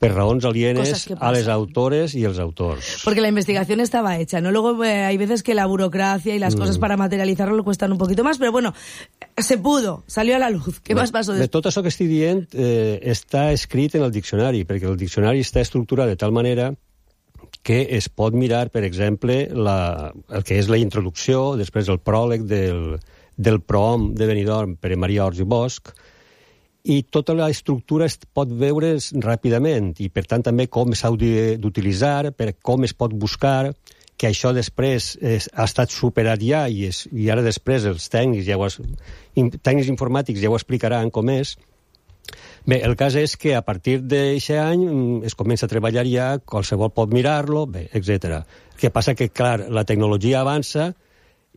per raons alienes a les autores y els autors. Porque la investigación estaba hecha, ¿no? Luego hay veces que la burocracia y las cosas para materializarlo cuestan un poquito más, pero bueno, se pudo, salió a la luz. ¿Qué más pasó després? De tot això que estic dient està escrit en el diccionari, perquè el diccionari està estructurat de tal manera que es pot mirar, per exemple, el que és la introducció, després el pròleg del prohom de Benidorm per Maria Ors i Bosch, i tota la estructura es pot veure ràpidament, i per tant també com s'ha d'utilitzar, com es pot buscar, que això després ha estat superat ja, i ara després els tècnics informàtics ja ho explicaran com és. Bé, el cas és que a partir d'aquest any es comença a treballar ja, qualsevol pot mirar-lo, etc. El que passa que, clar, la tecnologia avança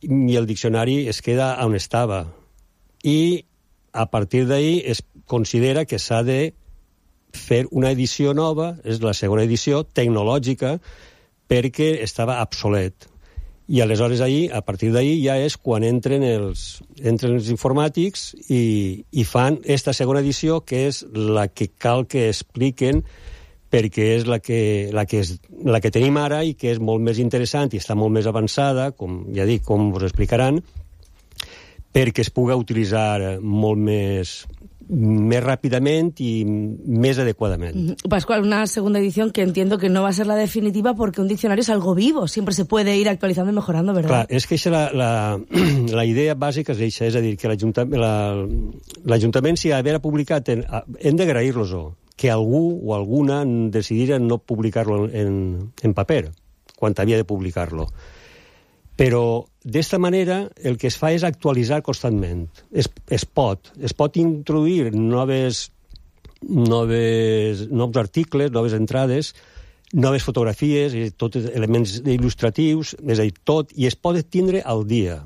i el diccionari es queda on estava. I a partir d'ahí es considera que s'ha de fer una edició nova, és la segona edició tecnològica, perquè estava obsolet. I aleshores a partir d'ahí ja és quan entren els informàtics i fan esta segona edició, que és la que cal que expliquen, perquè és la que tenim ara i que és molt més interessant i està molt més avançada, com ja dic, com us explicaran, perquè es pugui utilitzar molt més rápidamente y más adecuadamente. Pascual, una segunda edición que entiendo que no va a ser la definitiva porque un diccionario es algo vivo, siempre se puede ir actualizando y mejorando, ¿verdad? Clar, és que la idea bàsica és això, és a dir, que l'Ajuntament, si haguera publicat, hem d'agrair-los-ho, que algú o alguna decidira no publicar-lo en paper, quan havia de publicar-lo. Però d'esta manera el que es fa és actualitzar constantment. Es pot introduir nous articles, noves entrades, noves fotografies, tots elements il·lustratius, és a dir, tot, i es pot tindre al dia.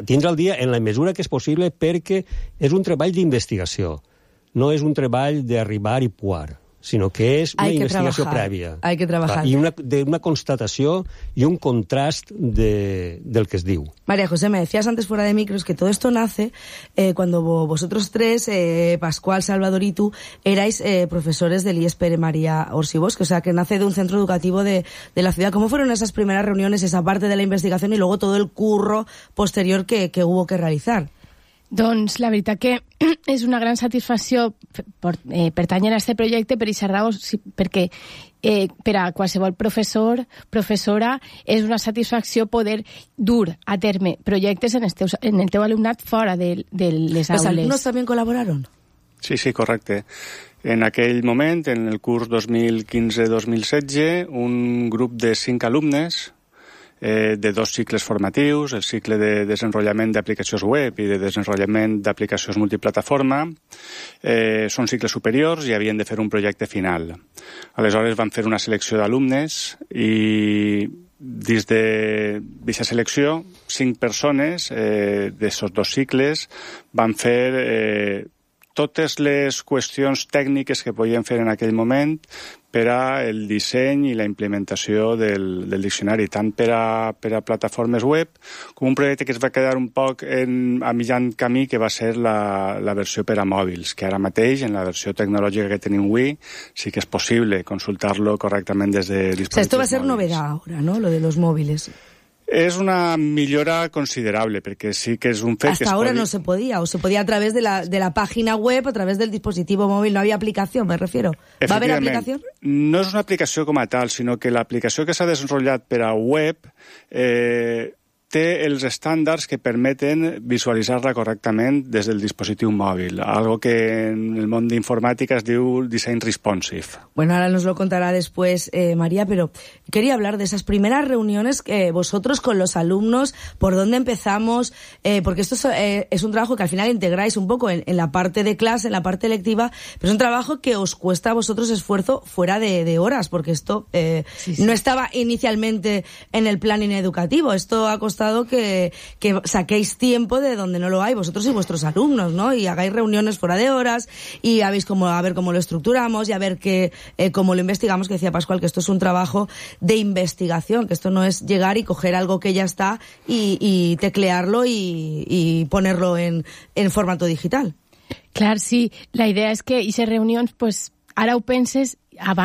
Tindre al dia en la mesura que és possible, perquè és un treball d'investigació, no és un treball d'arribar i puar, sino que es una investigación previa. Hay que trabajar. Y una constatación y un contrast del que es diu. María José, me decías antes fuera de micros que todo esto nace cuando vosotros tres, Pascual, Salvador y tú, erais profesores del IES Pere María Ors i Bosch, o sea, que nace de un centro educativo de la ciudad. ¿Cómo fueron esas primeras reuniones, esa parte de la investigación y luego todo el curro posterior que hubo que realizar? Doncs la veritat que és una gran satisfacció pertànyer a aquest projecte per aquesta raó, perquè per a qualsevol professor, professora, és una satisfacció poder dur a terme projectes en el teu alumnat fora de les aules. ¿Los alumnos también colaboraron? Sí, correcte. En aquell moment, en el curs 2015-2016, un grup de 5 alumnes de 2 cicles formatius, el cicle de desenvolupament d'aplicacions web i de desenvolupament d'aplicacions multiplataforma, són cicles superiors i havien de fer un projecte final. Aleshores van fer una selecció d'alumnes i dins d'aquesta selecció 5 persones d'aquests 2 cicles van fer totes les qüestions tècniques que podien fer en aquell moment per al disseny i la implementació del diccionari, tant per a plataformes web com un projecte que es va quedar un poc a mitjan camí, que va ser la versió per a mòbils, que ara mateix, en la versió tecnològica que tenim avui, sí que és possible consultar-lo correctament des de dispositius mòbils. Esto va a ser novedad ahora, ¿no?, lo de los móviles. Es una millora considerable, porque sí que es un fet que hasta ahora no se podía, o se podía a través de la página web, a través del dispositivo móvil, no había aplicación, me refiero. ¿Va a haber aplicación? No és una aplicació com a tal, sinó que l'aplicació que s'ha desenvolupat per a web té els estàndards que permeten visualitzar-la correctament des del dispositiu mòbil, algo que en el món d'informàtica es diu design responsive. Bueno, ahora nos lo contará después María, pero quería hablar de esas primeras reuniones que vosotros con los alumnos, por dónde empezamos, porque esto es un trabajo que al final integráis un poco en la parte de clase, en la parte lectiva, pero es un trabajo que os cuesta a vosotros esfuerzo fuera de horas, porque esto no estaba inicialmente en el plan educativo, esto ha costado que saquéis tiempo de donde no lo hay, vosotros y vuestros alumnos, ¿no? Y hagáis reuniones fuera de horas y a ver cómo lo estructuramos y a ver cómo lo investigamos, que decía Pascual, que esto es un trabajo de investigación, que esto no es llegar y coger algo que ya está y teclearlo y ponerlo en formato digital. Clar, sí. La idea és que aquestes reunions, pues, ara ho penses abans